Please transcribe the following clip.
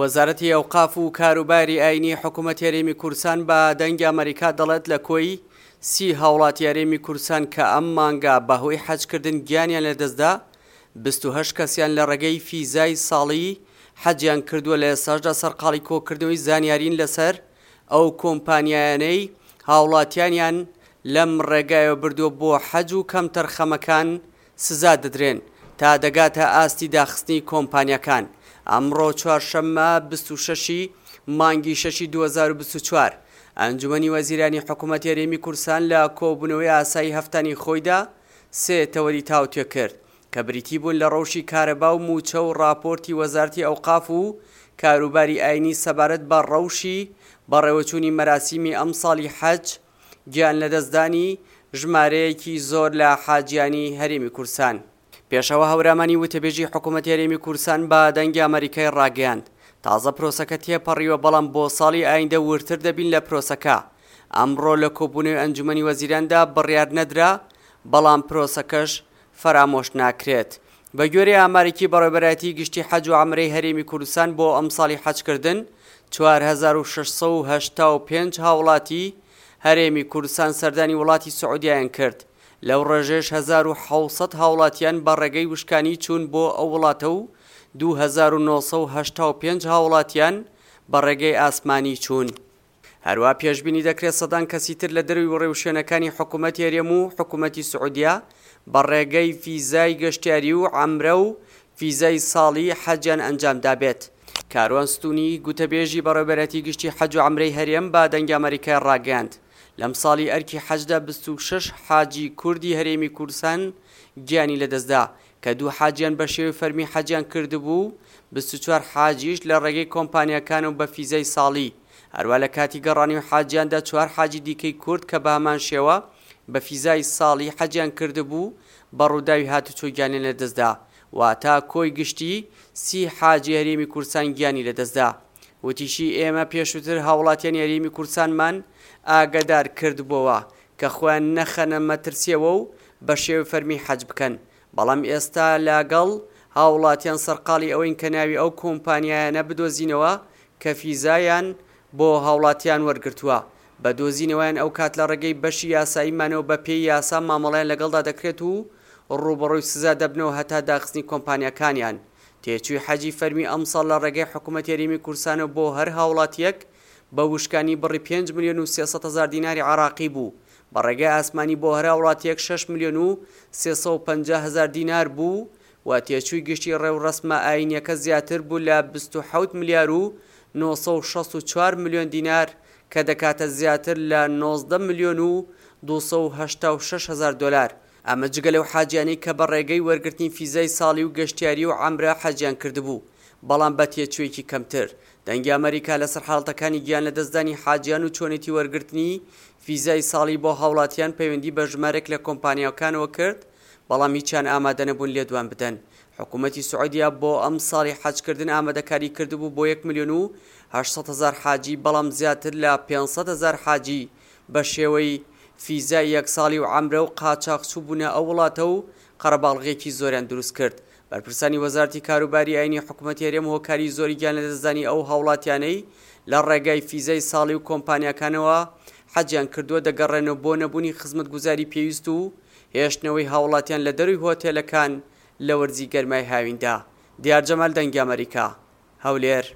وەزارەتی ئەوقاف و کاروباری ئاینی حکوومەتی هەرێمی کوردستان بە دەنگی ئەمەریکا دەڵێت لە کۆی سی هاوڵاتی هەرێمی کوردستان کە ئەم مانگە بەهۆی حەجکردن گیانیان لەدەستدا 28 کەسیان لە ڕێگەی فیزای ساڵی حەجیان کردووە لە ئێستاشدا سەرقاڵی کۆکردنەوەی زانیارین لەسەر ئەو کۆمپانیایانەی هاوڵاتیانیان لەم ڕێگایەوە بردووە بۆ حەج و کەمتەرخەمەکان سزا دەدرێن تا دەگاتە ئاستی داخستنی کۆمپانیاکان. ئەمڕۆ چوارشەممە 26 ی مانگی شەشی 2024، ئەنجومەنی وەزیرانی حکومەتی هەرێمی کوردستان لە کۆبوونەوەی ئاسایی هەفتانی خۆیدا سێ تەوەری تاوتوێ کرد کە بریتی بوون لە ڕەوشی کارەبا و مووچە و ڕاپۆرتی وەزارەتی ئەوقاف و کاروباری ئاینی سەبارەت بە ڕەوشی بەڕێوەچوونی مەراسیمی ئەمساڵی حەج گیان لەدەستدانی ژمارەیەکی زۆر لە حاجیانی هەرێمی کوردستان. پێشەوا هەورامانی وتەبێژی حکومەتی هەرێمی کوردستان بە دەنگی ئەمەریکای ڕاگەیاند، تازە پرۆسەکە تێپەڕیوە بەڵام بۆ ساڵی ئایندە وردتر دەبین لە پرۆسەکە، ئەمڕۆ لە کۆبوونەوەی ئەنجومەنی وەزیراندا بڕیار نەدرا بەڵام پرۆسەکەش فەرامۆش ناکرێت. بەگوێرەی ئامارێکی بەڕێوەبەرایەتی گشتی حەج و عەمرەی هەرێمی کوردستان بۆ ئەمساڵی حەجکردن 4685 هاوڵاتی هەرێمی کوردستان سەردانی وڵاتی سعودیایان کرد، لەو ڕێژەیەش 1700 هاوڵاتیان بە ڕێگەی وشکانی چوون بۆ ئەو وڵاتە و 2985 هاوڵاتیان بە ڕێگەی ئاسمانی چوون. هەروا پێشبینی دەکرێت سەدان کەسی تر لە دەروی ڕێوشوێنەکانی حکوومەتی هەرێم و حکوومەتی سعودیە بە ڕێگەی فیزای گەشتیاری و عەمرە و فیزای ساڵی حەجیان ئەنجام دابێت. کاروان ستونی، گوتەبێژی بەڕێوەبەرایەتی گشتی حەج و عەمرەی هەرێم بە دەنگی ئەمەریکای ڕاگەیاند، لەم ساڵی ئەرکی حەجدا 26 حاجی کوردی هەرێمی کوردستان گیانی لەدەستدا کە دوو حاجیان بە شێوەی فەرمی حەجیان کردبوو و 24 حاجیش لە ڕێگەی کۆمپانیاکانەوە بە فیزای ساڵی. هەروا لە کاتی گەڕانەوەی حاجیاندا چوار حاجی دیکەی کورد کە بە هەمان شێوە بە فیزای ساڵی حەجیان کردبوو بە ڕووداوی هاتوچۆ گیانیان لەدەستدا، واتە کۆی گشتی سی حاجی هەرێمی کوردستان گیانی لەدەستدا. وتیشی، ئێمە پێشووتر هاوڵاتیانی هەرێمی کوردستانمان ئاگەدار کردبووەوە کە خۆیان نەخەنە مەترسیەوە و بە شێوەی فەرمی حەج بکەن، بەڵام ئێستا لەگەڵ هاوڵاتیان سەرقاڵی ئەوەین کە ناوی ئەو کۆمپانیایانە بدۆزینەوە کە فیزایان بۆ هاوڵاتیان وەرگرتووە، بە دۆزینەوەیان ئەوکات لە ڕێگەی بەشی یاساییمانەوە بە پێی یاسا مامەڵەیان لەگەڵدا دەکرێت و ڕووبەڕووی سزا دەبنەوە هەتا داخستنی کۆمپانیاکانیان. تێچووی حەجی فەرمی ئەمساڵ لە ڕێگەی حکومەتی هەرێمی کوردستانەوە بۆ هەر هاوڵاتییەک بە وشکانی بڕی 5,300,000 دیناری عێراقی بوو، بە ڕێگای ئاسمانی بۆ هەر هاوڵاتییەک 6,350,000 دینار بوو و تێچووی گشتی ڕێوڕەسمە ئایینییەکە زیاتر بوو لە 27 ملیار و 964 ملیۆن دینار کە دەکاتە زیاتر لە 19 ملیۆن و 286 هەزار دۆلار. ئەمە جگە لەو حاجیانەی کە بە ڕێگەی وەرگرتنی فیزای ساڵی و گەشتیاری و عەمرە حەجیان کردبوو، بەڵام بە تێچوویەکی کەمتر. دەنگی ئەمەریکا لەسەر حاڵەتەکانی گیانلەدەستدانی حاجیان و چۆنێتی وەرگرتنی فیزای ساڵی بۆ هاوڵاتیان پەیوەندی بە ژمارێک لە کۆمپانیاکانەوە کرد، بەڵام هیچیان ئامادەنەبوون لێدوان بدەن. حکومەتی سعودیە بۆ ئەمساڵی حەجکردن ئامادەکاری کردبوو بۆ 1,800,000 حاجی، بەڵام زیاتر لە 500,000 حاجی بە شێوەی فیزای یەک ساڵی و عەمرە و قاچاخ چووبوونە ئەو وڵاتە و قەرەباڵغییەکی زۆریان دروست کرد. بەرپرسانی وەزارەتی کاروباری ئاینی حکومەتی هەرێم هۆکاری زۆری گیانلەدەستدانی ئەو هاوڵاتیانەی لە ڕێگای فیزای ساڵی و کۆمپانیاکانەوە حەجیان کردووە دەگەڕێنەوە بۆ نەبوونی خزمەتگوزاری پێویست و هێشتنەوەی هاوڵاتیان لە دەروی هۆتێلەکان لە وەرزی گەرمای هاویندا. دیار جەمال دەنگی ئەمەریکا، هەولێر.